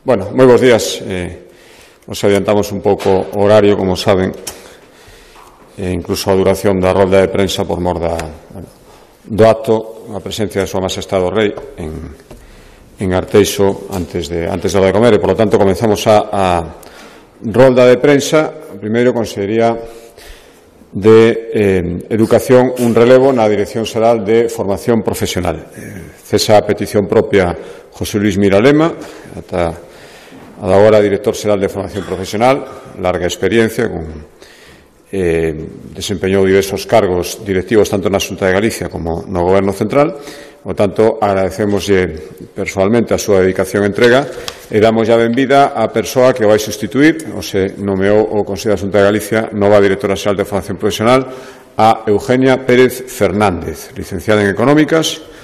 Bueno, moi bons días. Nos adiantamos un pouco o horario, como saben, incluso a duración da rolda de prensa por mor do acto, a presencia de Súa Majestade o Rei en Arteixo antes da hora de comer, e, por lo tanto, comenzamos a rolda de prensa. Primeiro, Consellería de Educación, un relevo na Dirección Xeral de Formación Profesional. Cesa a petición propia José Luis Mira Lema, ata agora director xeral de Formación Profesional, larga experiencia, desempeñou diversos cargos directivos tanto na Xunta de Galicia como no Goberno Central. Por tanto, agradecemoslle personalmente a súa dedicación e entrega e damos a benvida á persoa que vai sustituir, o se nomeou o Consello da Xunta de Galicia nova directora xeral de Formación Profesional, a Eugenia Pérez Fernández, licenciada en Económicas.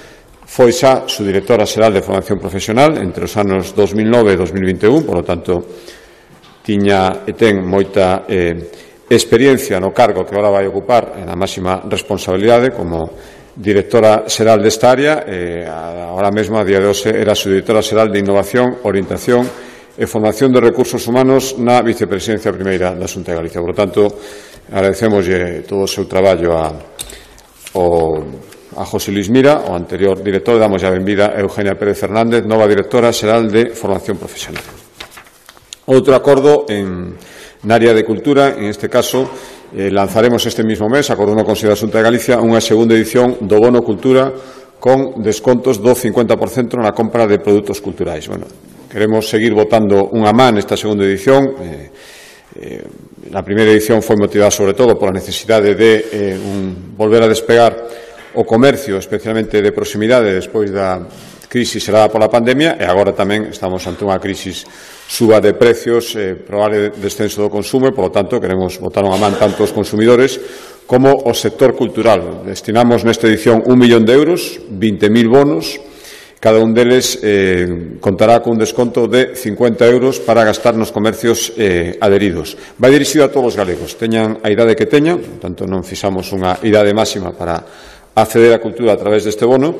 Foi xa su directora xeral de Formación Profesional entre os anos 2009 e 2021, por lo tanto, tiña e ten moita experiencia no cargo que agora vai ocupar na máxima responsabilidade como directora xeral desta área. Ahora mesmo, a día de hoxe, era su directora xeral de Innovación, Orientación e Formación de Recursos Humanos na Vicepresidencia Primeira da Xunta de Galicia. Por lo tanto, agradecemoslle todo o seu traballo a José Luis Mira, o anterior director. Damos a benvida a Eugenia Pérez Fernández, nova directora xeral de Formación Profesional. Outro acordo na área de cultura, en este caso, lanzaremos este mismo mes, acordou no Consello da Xunta de Galicia, unha segunda edición do Bono Cultura con descontos do 50% na compra de produtos culturais. Bueno, queremos seguir votando unha man nesta segunda edición. Na primeira edición foi motivada sobre todo pola necesidade de volver a despegar o comercio, especialmente de proximidade, despois da crisis xerada pola pandemia, e agora tamén estamos ante unha crisis suba de precios, probable descenso do consumo, e, por lo tanto, queremos botar unha man tanto os consumidores como o sector cultural. Destinamos nesta edición 1 millón de euros, 20.000 bonos, cada un deles contará con un desconto de 50 euros para gastar nos comercios adheridos. Vai dirixido a todos os galegos, teñan a idade que teñan, tanto non fixamos unha idade máxima para acceder á cultura a través deste bono,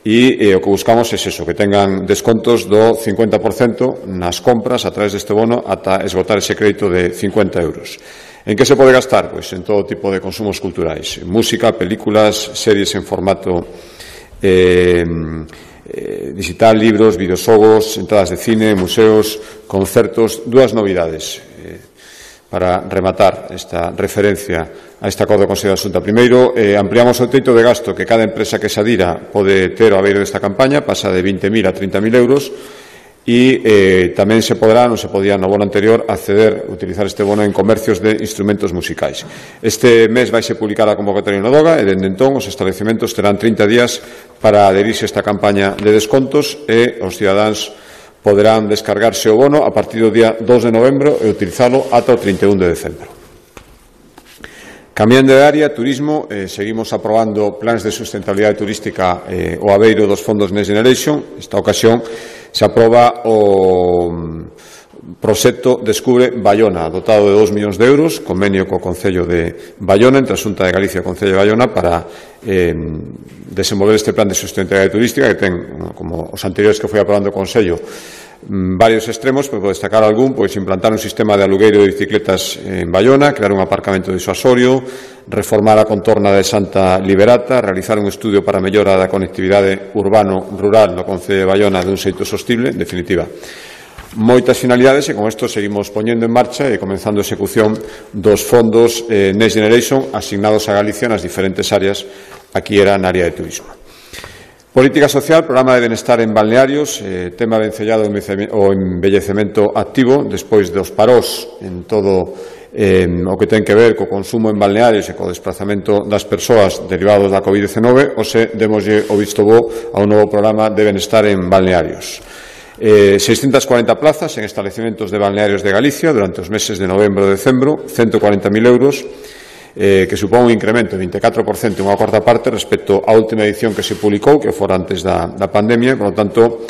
e o que buscamos é eso, que tengan descontos do 50% nas compras a través deste bono ata esgotar ese crédito de 50 euros. En que se pode gastar? Pois en todo tipo de consumos culturais, música, películas, series en formato digital, libros, videoxogos, entradas de cine, museos, concertos. Dúas novidades para rematar esta referencia a este acordo do Consello da Xunta. Primeiro, ampliamos o teito de gasto que cada empresa que se adira pode ter ao abeiro desta campaña, pasa de 20.000 a 30.000 euros, e tamén se podrá, non se podía no bono anterior, utilizar este bono en comercios de instrumentos musicais. Este mes vai se publicar a convocatoria no DOGA, e dende entón os establecementos terán 30 días para adherirse a esta campaña de descontos, e os cidadáns poderán descargarse o bono a partir do día 2 de novembro e utilizalo ata o 31 de decembro. Cambiando de área, turismo, seguimos aprobando plans de sustentabilidade turística o abeiro dos fondos Next Generation. Esta ocasión se aproba o proxecto Descubre Baiona, dotado de 2 millóns de euros, convenio co Concello de Baiona, entre a Xunta de Galicia e o Concello de Baiona, para desenvolver este plan de sustentabilidade turística que ten, como os anteriores que foi aprobando o Concello, varios extremos, pero por destacar algún, pois implantar un sistema de alugueiro de bicicletas en Baiona, crear un aparcamento disuasorio, reformar a contorna de Santa Liberata, realizar un estudio para a mellora da conectividade urbano-rural no Concello de Baiona dun xeito sostible. En definitiva, moitas finalidades, e con isto seguimos poñendo en marcha e comenzando a execución dos fondos Next Generation asignados a Galicia nas diferentes áreas. Aquí era na área de turismo. Política social, programa de benestar en balnearios, tema vencellado o envellecemento activo, despois dos parós en todo o que ten que ver co consumo en balnearios e co desplazamento das persoas derivados da COVID-19, demoslle o visto bo a un novo programa de benestar en balnearios. 640 plazas en establecementos de balnearios de Galicia durante os meses de novembro e decembro, 140.000 euros, que supón un incremento de 24%, unha cuarta parte, respecto á última edición que se publicou, que fora antes da pandemia. Por lo tanto,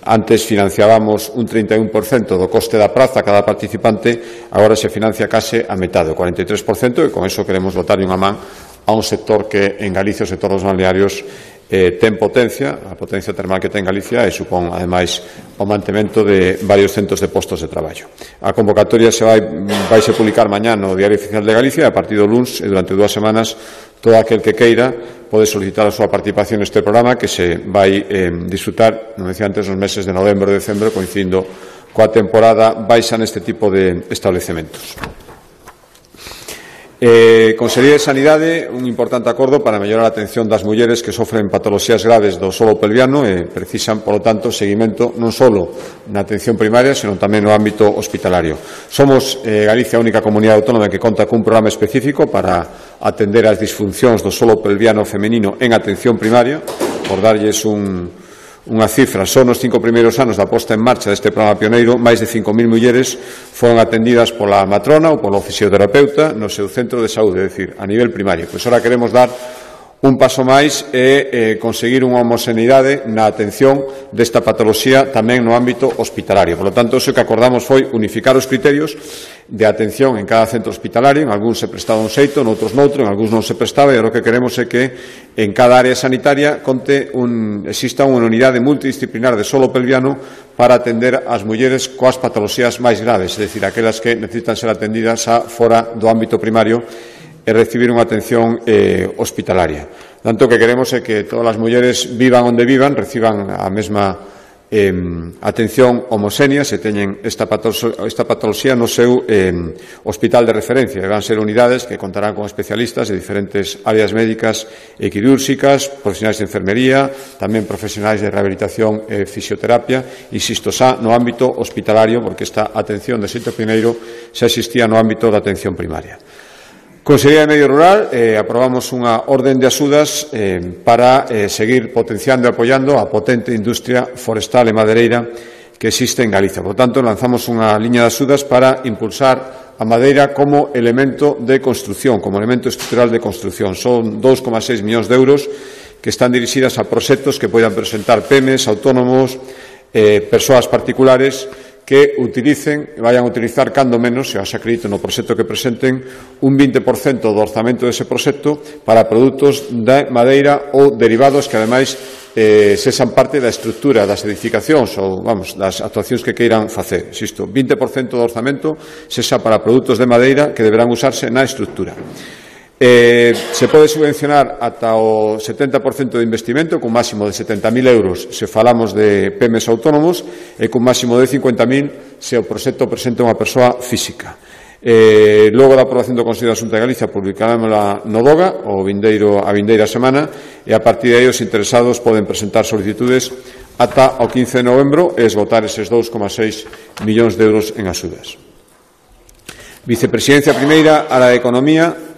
antes financiábamos un 31% do coste da praza a cada participante, agora se financia case a metade, o 43%, e con eso queremos botarlle unha man a un sector que en Galicia, o sector dos balnearios, ten potencia, a potencia termal que ten Galicia e supón, ademais, o mantemento de varios centos de postos de traballo. A convocatoria vaise publicar mañá no Diario Oficial de Galicia e a partir do luns e durante 2 semanas todo aquel que queira pode solicitar a súa participación neste programa que se vai disfrutar, non decía antes, nos meses de novembro e decembro, coincidindo coa temporada baixa neste tipo de establecementos. Consellería de Sanidade, un importante acordo para mellorar a atención das mulleres que sofren patoloxías graves do solo pelviano e precisan, polo tanto, seguimento non só na atención primaria, senón tamén no ámbito hospitalario. Somos Galicia a única comunidade autónoma que conta cun programa específico para atender as disfuncións do solo pelviano femenino en atención primaria, por darlles unha cifra. Só nos 5 primeiros anos da posta en marcha deste programa pioneiro, máis de 5.000 mulleres foron atendidas pola matrona ou polo fisioterapeuta no seu centro de saúde, é dicir, a nivel primario. Pois ora queremos dar un paso máis e conseguir unha homoxeneidade na atención desta patoloxía tamén no ámbito hospitalario. Por lo tanto, o que acordamos foi unificar os criterios de atención en cada centro hospitalario. En algúns se prestaba un xeito, noutros noutro, en algúns non se prestaba, e o que queremos é que en cada área sanitaria exista unha unidade multidisciplinar de solo pelviano para atender as mulleres coas patoloxías máis graves, é dicir, aquelas que necesitan ser atendidas fora do ámbito primario e recibir unha atención hospitalaria. Tanto que queremos é que todas as mulleres vivan onde vivan, reciban a mesma atención homoxénea se teñen esta patoloxía no seu hospital de referencia. Van ser unidades que contarán con especialistas de diferentes áreas médicas e quirúrxicas, profesionais de enfermería, tamén profesionais de rehabilitación e fisioterapia, insisto, xa no ámbito hospitalario, porque esta atención de xeito primeiro xa existía no ámbito da atención primaria. Consellería de Medio Rural, aprobamos unha orden de axudas para seguir potenciando e apoiando a potente industria forestal e madereira que existe en Galicia. Por tanto, lanzamos unha liña de axudas para impulsar a madeira como elemento de construción, como elemento estrutural de construción. Son 2,6 millóns de euros que están dirixidas a proxectos que poidan presentar PEMES, autónomos, persoas particulares que vayan a utilizar cando menos, se as acredito no proxecto que presenten, un 20% do orzamento dese proxecto para produtos de madeira ou derivados que, ademais, sexan parte da estrutura das edificacións ou, das actuacións que queiran facer. Insisto, 20% do orzamento sexa para produtos de madeira que deberán usarse na estrutura. Se pode subvencionar ata o 70% de investimento, cun máximo de 70.000 euros se falamos de PEMES autónomos e cun máximo de 50.000 se o proxecto presenta unha persoa física. Logo da aprobación do Consello da Xunta de Galicia publicarámola no DOGA a vindeira semana e a partir de aí os interesados poden presentar solicitudes ata o 15 de novembro e esgotar eses 2,6 millóns de euros en axudas. Vicepresidencia primeira, área de Economía,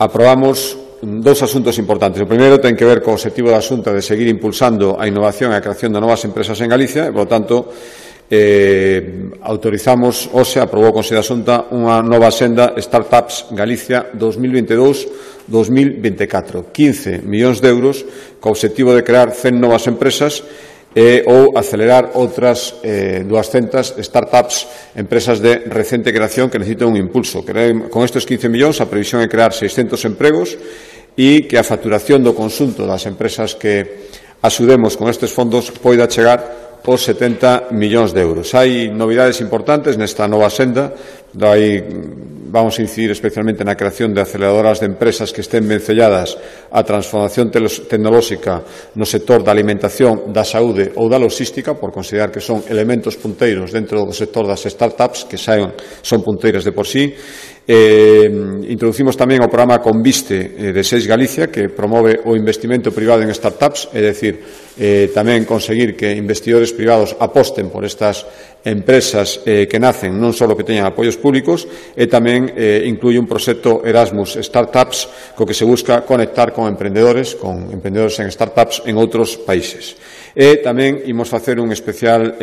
aprobamos 2 asuntos importantes. O primeiro ten que ver co obxectivo da Xunta de seguir impulsando a innovación e a creación de novas empresas en Galicia e, por lo tanto, autorizamos, aprobou o Consello da Xunta unha nova senda Startups Galicia 2022-2024. 15 millóns de euros co obxectivo de crear 100 novas empresas ou acelerar outras 200 startups, empresas de recente creación que necesitan un impulso. Con estes 15 millóns a previsión é crear 600 empregos e que a facturación do conxunto das empresas que axudemos con estes fondos poida chegar aos 70 millóns de euros. Hai novidades importantes nesta nova senda. Vamos a incidir especialmente na creación de aceleradoras de empresas que estén vencelladas á transformación tecnolóxica no sector da alimentación, da saúde ou da logística, por considerar que son elementos punteiros dentro do sector das startups, que son punteiras de por sí. Introducimos tamén o programa Conviste de SEIS Galicia, que promove o investimento privado en startups, é dicir, tamén conseguir que investidores privados aposten por estas empresas que nacen non só que teñan apoios públicos, e tamén inclui un proxecto Erasmus Startups co que se busca conectar con emprendedores en startups en outros países. E tamén imos facer un especial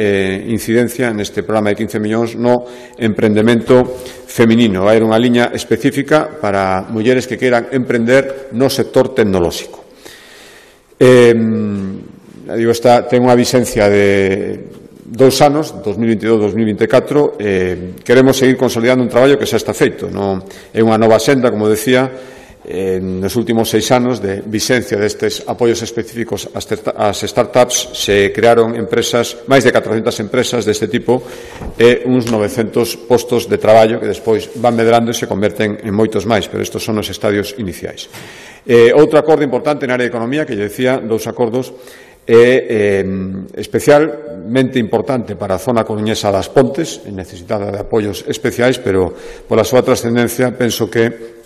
incidencia neste programa de 15 millóns no emprendemento feminino. Vai haber unha liña específica para mulleres que queiran emprender no sector tecnolóxico. Ten unha vigencia de 2 anos, 2022-2024, queremos seguir consolidando un traballo que xa está feito. É unha nova senda, como decía, nos últimos 6 anos de vixencia destes apoios específicos ás startups se crearon empresas, máis de 400 empresas deste tipo e uns 900 postos de traballo que despois van medrando e se converten en moitos máis, pero estes son os estadios iniciais. Outro acordo importante na área de economía, que lle decía, 2 acordos, é especialmente importante para a zona coruñesa das Pontes, necesitada de apoios especiais, pero pola súa trascendencia penso que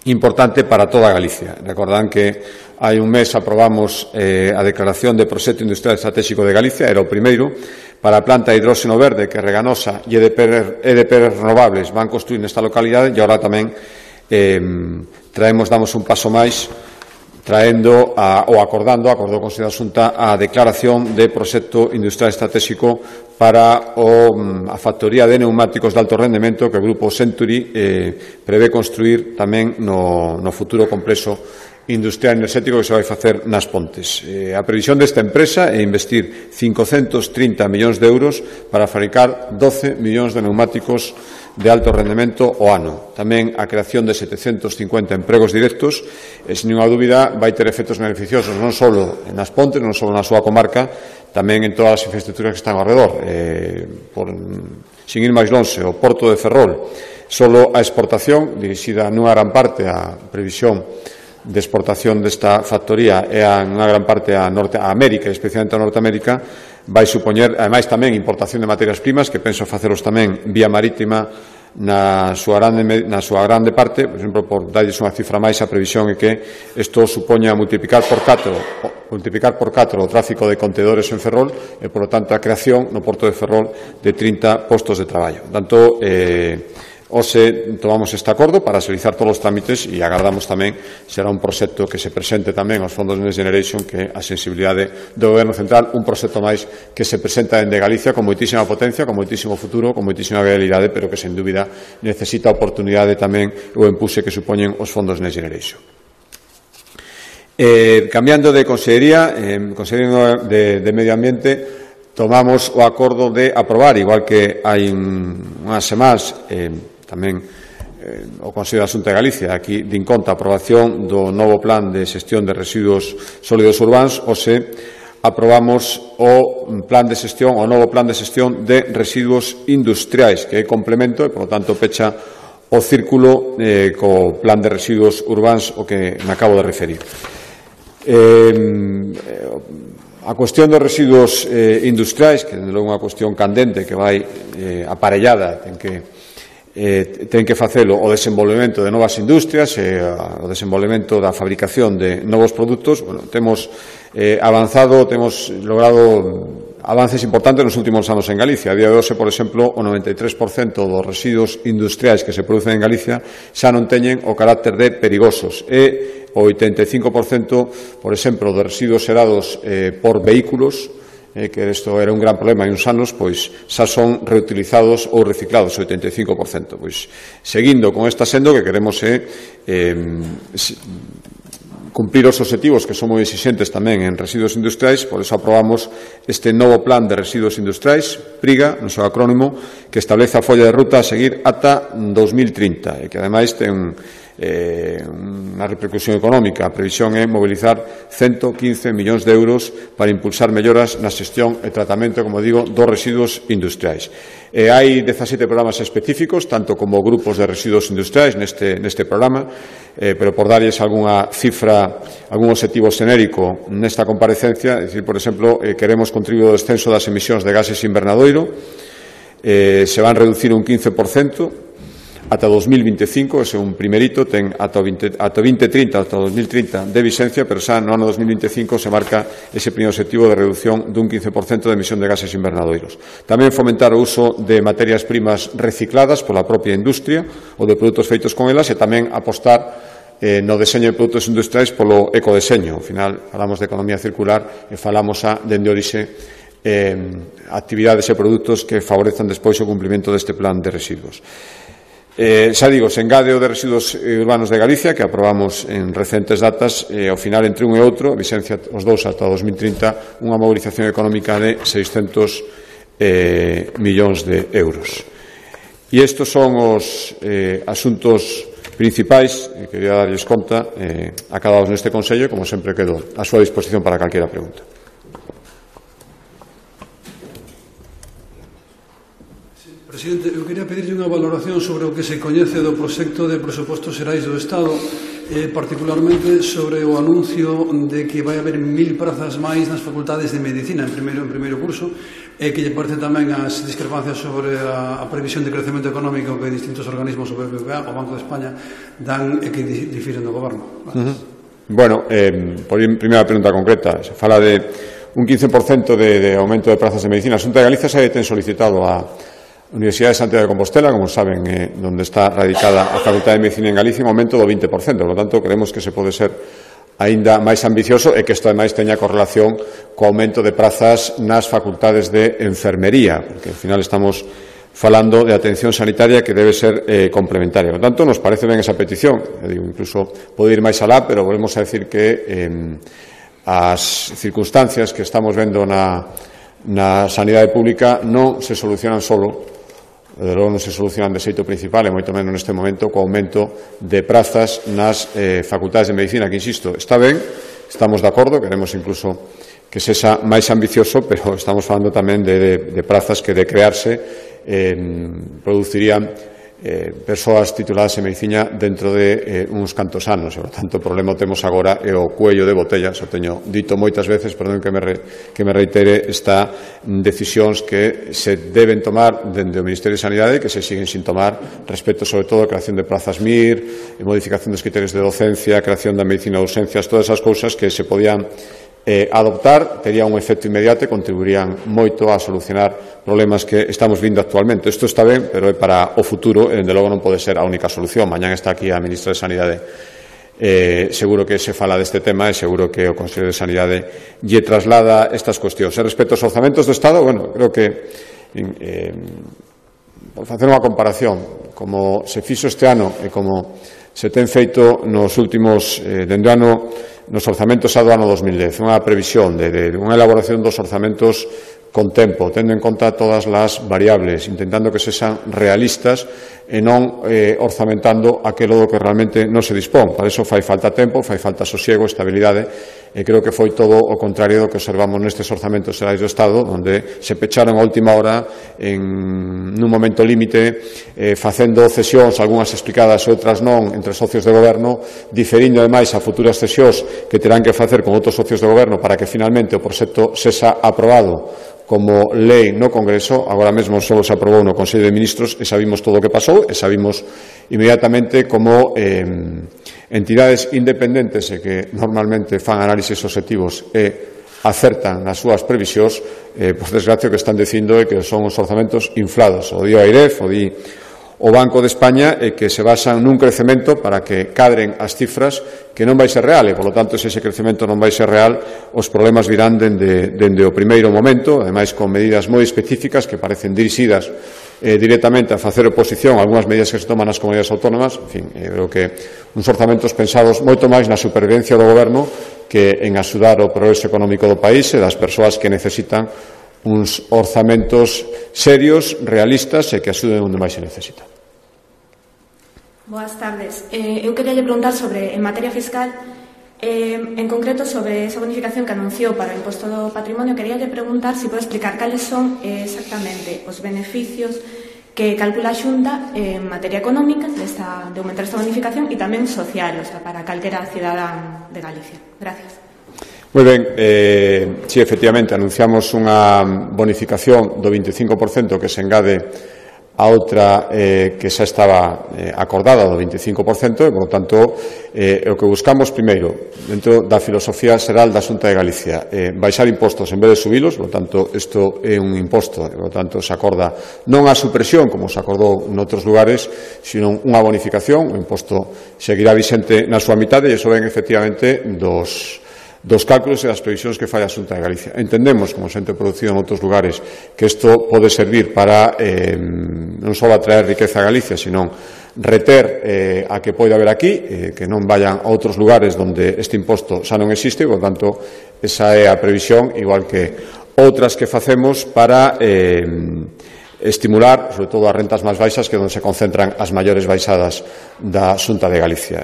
importante para toda Galicia. Recordan que hai un mes aprobamos a declaración de Proxecto Industrial Estratégico de Galicia, era o primeiro, para a planta de hidróxeno verde que Reganosa e EDP Renovables van construir nesta localidade, e agora tamén damos un paso máis traendo acordou o Consello da Xunta a declaración de Proxecto Industrial Estratégico para a factoría de neumáticos de alto rendemento que o Grupo Century prevé construir tamén no futuro complexo industrial enerxético que se vai facer nas Pontes. A previsión desta empresa é investir 530 millóns de euros para fabricar 12 millóns de neumáticos de alto rendemento ao ano. Tamén a creación de 750 empregos directos e, sen ninguna dúbida, vai ter efectos beneficiosos non só nas Pontes, non só na súa comarca, tamén en todas as infraestructuras que están ao redor. Sin ir máis lonxe, o Porto de Ferrol, solo a exportación, dirixida nunha gran parte a previsión de exportación desta factoría e nunha gran parte a América, especialmente a Norteamérica, vai supoñer, ademais, tamén importación de materias primas, que penso faceros tamén vía marítima na súa grande parte. Por exemplo, por darlles unha cifra máis, a previsión é que isto supoña multiplicar por 4 o tráfico de contedores en Ferrol e, por lo tanto, a creación no Porto de Ferrol de 30 postos de traballo. Tanto, hoxe tomamos este acordo para agilizar todos os trámites e agardamos tamén será un proxecto que se presente tamén aos fondos Next Generation, que a sensibilidade do Goberno Central, un proxecto máis que se presenta dende Galicia con moitísima potencia, con moitísimo futuro, con moitísima viabilidade, pero que sen dúbida necesita a oportunidade tamén o empuxe que supoñen os fondos Next Generation. Cambiando de consellería, Consellería de Medio Ambiente, tomamos o acordo de aprobar, igual que hai unhas semanas, tamén o Consello da Xunta de Galicia, aquí din conta a aprobación do novo plan de xestión de residuos sólidos urbáns, hoxe aprobamos o novo plan de xestión de residuos industriais, que é complemento e, por lo tanto, pecha o círculo co plan de residuos urbáns o que me acabo de referir. A cuestión dos residuos industriais, que é unha cuestión candente que vai aparellada, ten que facelo o desenvolvemento de novas industrias e o desenvolvemento da fabricación de novos produtos. Temos avanzado, temos logrado avances importantes nos últimos anos en Galicia. A día de hoxe, por exemplo, o 93% dos residuos industriais que se producen en Galicia xa non teñen o carácter de perigosos e o 85%, por exemplo, dos residuos xerados por vehículos, que isto era un gran problema hai uns anos, pois xa son reutilizados ou reciclados, o 85%. Pois, seguindo con esta senda, que queremos cumprir os obxectivos que son moi exixentes tamén en residuos industriais, por eso aprobamos este novo plan de residuos industriais, PRIGA, no seu acrónimo, que establece a folla de ruta a seguir ata 2030 e que ademais ten unha repercusión económica. A previsión é mobilizar 115 millóns de euros para impulsar melloras na xestión e tratamento, como digo, dos residuos industriais. Hai 17 programas específicos, tanto como grupos de residuos industriais neste programa, pero por darlles algunha cifra, algún obxectivo xenérico nesta comparecencia, é dicir, por exemplo, queremos contribuir ao descenso das emisións de gases invernadoiro, se van reducir un 15%, ata 2025, ese é un primerito, ten ata 2030, ata 2030 de vixencia, pero xa no ano 2025 se marca ese primeiro obxectivo de reducción dun 15% de emisión de gases invernadoiros. Tamén fomentar o uso de materias primas recicladas pola propia industria ou de produtos feitos con elas e tamén apostar no deseño de produtos industriais polo ecodeseño. Ao final, falamos de economía circular e falamos dende orixe actividades e produtos que favorezan despois o cumprimento deste plan de residuos. Xa digo, se engade o de residuos urbanos de Galicia, que aprobamos en recentes datas, ao final entre un e outro, vixencia os dous ata 2030, unha mobilización económica de 600 millóns de euros. E estes son os asuntos principais, quería darlles conta a cada un neste Consello, como sempre quedo a súa disposición para calquera pregunta. Presidente, eu quería pedirlle unha valoración sobre o que se coñece do proxecto de presupostos xerais do Estado, particularmente sobre o anuncio de que vai haber 1000 prazas máis nas facultades de Medicina en primeiro curso, e que lle parece tamén as discrepancias sobre a previsión de crecemento económico que distintos organismos, o BBVA, o Banco de España, dan e que difiren do Goberno. Bueno, por primeira pregunta concreta, se fala de un 15% de aumento de prazas de Medicina. A Xunta de Galicia se ten solicitado a Universidade de Santiago de Compostela, como saben, donde está radicada a Facultade de Medicina en Galicia, un aumento do 20%. Por lo tanto, creemos que se pode ser aínda máis ambicioso e que isto, ademais, teña correlación co aumento de prazas nas facultades de enfermería, porque, ao final, estamos falando de atención sanitaria que debe ser complementaria. Por lo tanto, nos parece ben esa petición. Eu digo, incluso pode ir máis alá, pero volvemos a decir que as circunstancias que estamos vendo na sanidade pública non se solucionan solo, de logo non se solucionan de xeito principal, e moito menos neste momento, co aumento de prazas nas facultades de Medicina, que, insisto, está ben, estamos de acordo, queremos incluso que sexa máis ambicioso, pero estamos falando tamén de prazas que, de crearse, producirían persoas tituladas en Medicina dentro de uns cantos anos. Por tanto, o problema o temos agora é o cuello de botella. Xa teño dito moitas veces, perdón que me reitere, está decisións que se deben tomar dende o Ministerio de Sanidade, que se siguen sin tomar, respecto sobre todo a creación de plazas MIR, modificación dos criterios de docencia, creación da medicina de urgencias, todas esas cousas que se podían adoptar, tería un efecto inmediato e contribuirían moito a solucionar problemas que estamos vindo actualmente. Isto está ben, pero é para o futuro e, dende logo, non pode ser a única solución. Mañán está aquí a Ministra de Sanidade. Seguro que se fala deste tema e seguro que o Consello de Sanidade lle traslada estas cuestións. E respecto aos orzamentos do Estado, bueno, creo que por facer unha comparación, como se fixo este ano e como se ten feito nos últimos dende o ano nos orzamentos do ano 2010, unha previsión de unha elaboración dos orzamentos con tempo, tendo en conta todas as variables, intentando que sexan realistas e non orzamentando aquilo do que realmente non se dispón. Para iso fai falta tempo, fai falta sosiego, estabilidade, e creo que foi todo o contrario do que observamos nestes orzamentos xerais do Estado, onde se pecharon a última hora nun momento límite, facendo cesións, algunhas explicadas e outras non, entre socios de goberno, diferindo ademais a futuras cesións que terán que facer con outros socios de goberno para que finalmente o proxecto sexa aprobado como lei no Congreso. Agora mesmo só se aprobou no Consello de Ministros e sabimos todo o que pasou e sabimos inmediatamente como entidades independentes e que normalmente fan análises obxectivos e acertan nas súas previsións, por desgracia o que están dicindo é que son os orzamentos inflados. O di o AIREF, o di o Banco de España, e que se basan nun crecemento para que cadren as cifras que non vai ser real, e, polo tanto, se ese crecemento non vai ser real, os problemas virán dende o primeiro momento, ademais con medidas moi específicas que parecen dirixidas directamente a facer oposición a algunhas medidas que se toman nas comunidades autónomas. En fin, creo que uns orzamentos pensados moito máis na supervivencia do goberno que en axudar o progreso económico do país e das persoas que necesitan uns orzamentos serios, realistas e que axuden onde máis se necesita. Boas tardes. Eu queria preguntar sobre, en materia fiscal, en concreto sobre esa bonificación que anunciou para o imposto do patrimonio. Quería preguntar se pode explicar cales son exactamente os beneficios que calcula a Xunta en materia económica de aumentar esta bonificación e tamén social, o sea, para calquera cidadán de Galicia. Gracias. Moi ben, si efectivamente anunciamos unha bonificación do 25% que se engade a outra que xa estaba acordada do 25%, e, por lo tanto, o que buscamos primeiro, dentro da filosofía xeral da Xunta de Galicia, baixar impostos en vez de subilos. Por lo tanto, isto é un imposto, e, por lo tanto, se acorda non a supresión, como se acordou noutros lugares, sino unha bonificación. O imposto seguirá vixente na súa mitade, e iso ven, efectivamente, dos cálculos e das previsións que fai a Xunta de Galicia. Entendemos, como se ten producido en outros lugares, que isto pode servir para non só atraer riqueza a Galicia, sino reter a que pode haber aquí, que non vayan a outros lugares onde este imposto xa non existe. Por tanto, esa é a previsión, igual que outras que facemos para estimular, sobre todo as rentas máis baixas, que é onde se concentran as maiores baixadas da Xunta de Galicia.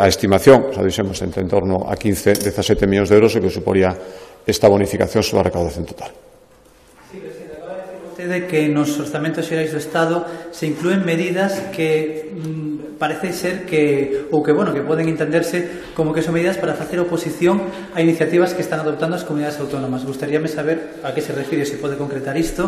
A estimación, xa dixemos, entre en torno a 15-17 millóns de euros, o que suporía esta bonificación sobre a recaudación total. Sí, presidente, acaba de decir vostede que nos orzamentos xerais do Estado se inclúen medidas que parece ser que poden entenderse como que son medidas para facer oposición a iniciativas que están adoptando as comunidades autónomas. Gustaríame saber a que se refire, se pode concretar isto.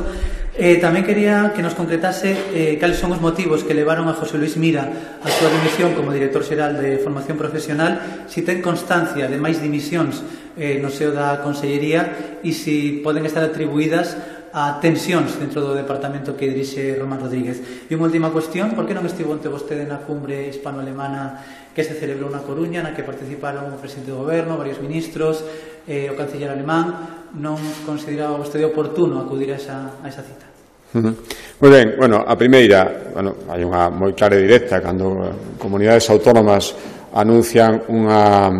Tamén quería que nos concretase cales son os motivos que levaron a José Luis Mira a súa dimisión como director xeral de Formación Profesional, se ten constancia de máis dimisións no seo da Consellería e se poden estar atribuídas a tensións dentro do departamento que dirixe Román Rodríguez. E unha última cuestión, por que non estivo ante vostede na cumbre hispano-alemana que se celebrou na Coruña, na que participaron o presidente do goberno, varios ministros, o canciller alemán? Non consideraba vostede oportuno acudir a esa cita? Moi ben, a primeira, hai unha moi clara e directa, cando comunidades autónomas anuncian unha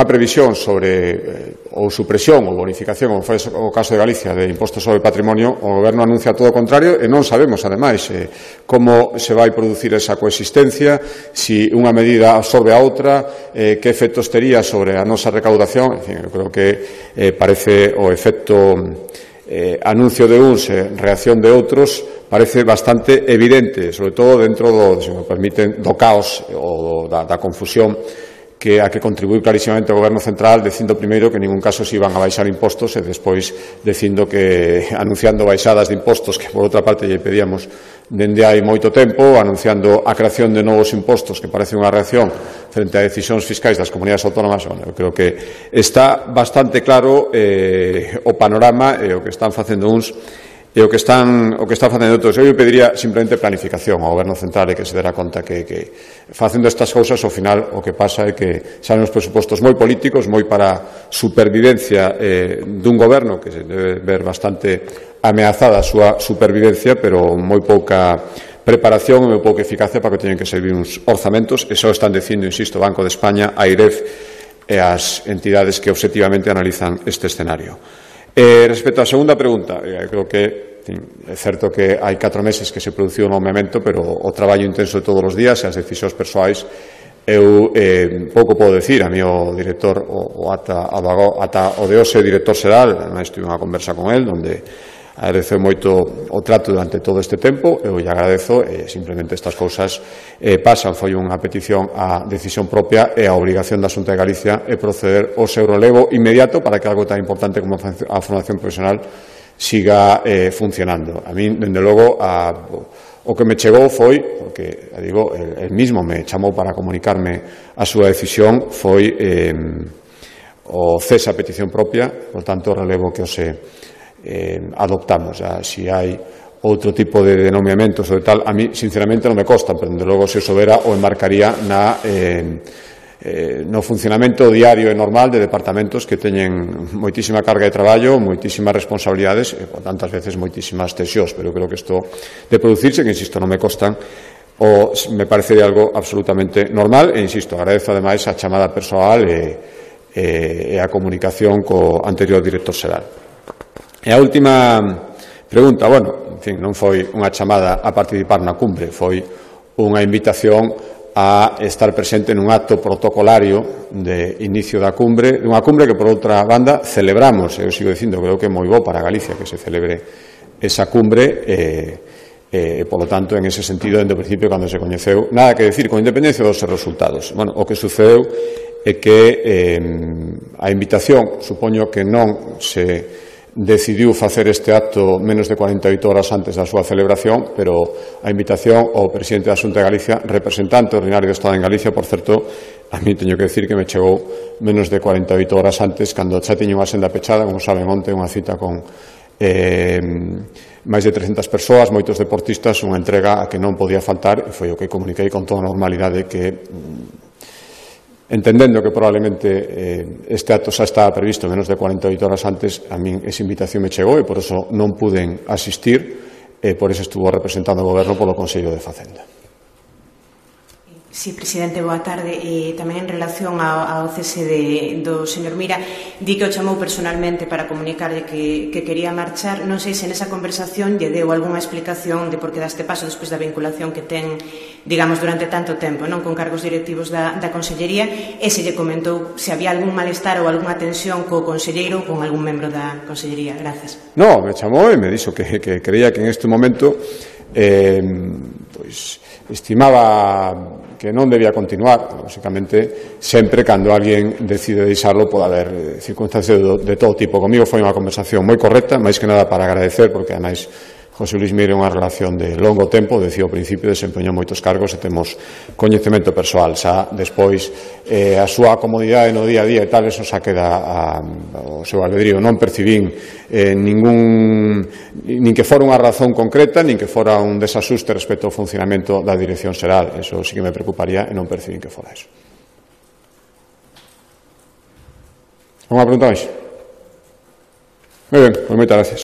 previsión sobre ou supresión ou bonificación, como foi o caso de Galicia, de impostos sobre patrimonio, o Goberno anuncia todo o contrario e non sabemos, ademais, como se vai producir esa coexistencia, si unha medida absorbe a outra, que efectos tería sobre a nosa recaudación. En fin, eu creo que parece o efecto anuncio de uns e reacción de outros parece bastante evidente, sobre todo dentro do, se me permiten, do caos ou da confusión a que contribuíu clarísimamente o Goberno Central, dicindo primeiro que en ningún caso se iban a baixar impostos e despois dicindo que, anunciando baixadas de impostos que por outra parte lle pedíamos dende hai moito tempo, anunciando a creación de novos impostos, que parece unha reacción frente a decisións fiscais das comunidades autónomas. Eu creo que está bastante claro o panorama e o que están facendo uns e o que están facendo outros. Eu pediría simplemente planificación ao Goberno Central e que se dera conta que facendo estas cousas, ao final, o que pasa é que salen os presupostos moi políticos, moi para supervivencia dun goberno que se debe ver bastante ameazada a súa supervivencia, pero moi pouca preparación e moi pouca eficacia para que teñen que servir uns orzamentos, e só están dicindo, insisto, Banco de España, AIREF e as entidades que obxectivamente analizan este escenario. Respecto á segunda pregunta, creo que é certo que hai 4 meses que se produciu o nomeamento, pero o traballo intenso de todos os días e as decisións persoais, eu pouco podo decir. A mí o director, ata o de hoxe director xeral, ademais tive unha conversa con el, onde agradezo moito o trato durante todo este tempo, eu lle agradezo, simplemente estas cousas pasan. Foi unha petición a decisión propia e a obrigación da Xunta de Galicia é proceder ao seu relevo inmediato para que algo tan importante como a formación profesional siga funcionando. A mí, dende logo, o que me chegou foi, porque, digo, el mismo me chamou para comunicarme a súa decisión, foi o cese a petición propia, por tanto, o relevo que o se adoptamos. Si hai outro tipo de denominamentos ou tal, a mí sinceramente non me consta, pero desde logo se sobera o enmarcaría no funcionamento diario e normal de departamentos que teñen moitísima carga de traballo, moitísimas responsabilidades e, por tantas veces, moitísimas tensións, pero creo que isto de producirse, que insisto, non me constan, me parece de algo absolutamente normal e, insisto, agradezo ademais a chamada persoal e a comunicación co anterior director xeral. E a última pregunta, en fin, non foi unha chamada a participar na cumbre, foi unha invitación a estar presente nun acto protocolario de inicio da cumbre, unha cumbre que, por outra banda, celebramos. Eu sigo dicindo, creo que é moi bo para Galicia que se celebre esa cumbre e, por lo tanto, en ese sentido, dende o principio, cando se coñeceu, nada que decir, con independencia dos resultados. O que sucedeu é que a invitación, supoño que non se decidiu facer este acto menos de 48 horas antes da súa celebración, pero a invitación ao presidente da Xunta de Galicia, representante ordinario do Estado en Galicia, por certo, a mí teño que decir que me chegou menos de 48 horas antes, cando xa tiña unha senda pechada, como saben, onte unha cita con máis de 300 persoas, moitos deportistas, unha entrega a que non podía faltar, e foi o que comuniquei con toda normalidade que entendendo que probablemente este acto xa estaba previsto menos de 48 horas antes, a min esa invitación me chegou e por eso non puden asistir e por eso estuvo representando o Goberno polo Consello de Facenda. Sí, presidente, boa tarde. Tamén en relación ao cese do señor Mira, di que o chamou personalmente para comunicarlle que quería marchar. Non sei se nesa conversación lle deu algunha explicación de por que daste paso despois da vinculación que ten, digamos, durante tanto tempo, non, con cargos directivos da Consellería, e se lle comentou se había algún malestar ou algunha tensión co conselleiro ou con algún membro da Consellería. Gracias. No, me chamou e me dixo que creía que en este momento pois estimaba que non debía continuar. Lógicamente, sempre cando alguén decide deixarlo pode haber circunstancias de todo tipo. Comigo foi unha conversación moi correcta, máis que nada para agradecer, porque ademais José Luis Mira é unha relación de longo tempo, decía ao principio, desempeñou moitos cargos e temos coñecemento persoal. Xa despois a súa comodidade no día a día e tal, eso xa queda ao seu albedrío. Non percibín nin que fora unha razón concreta, nin que fora un desasuste respecto ao funcionamento da Dirección Xeral. Eso sí que me preocuparía e non percibín que fora eso. Unha pregunta máis? Moi ben, pois moitas gracias.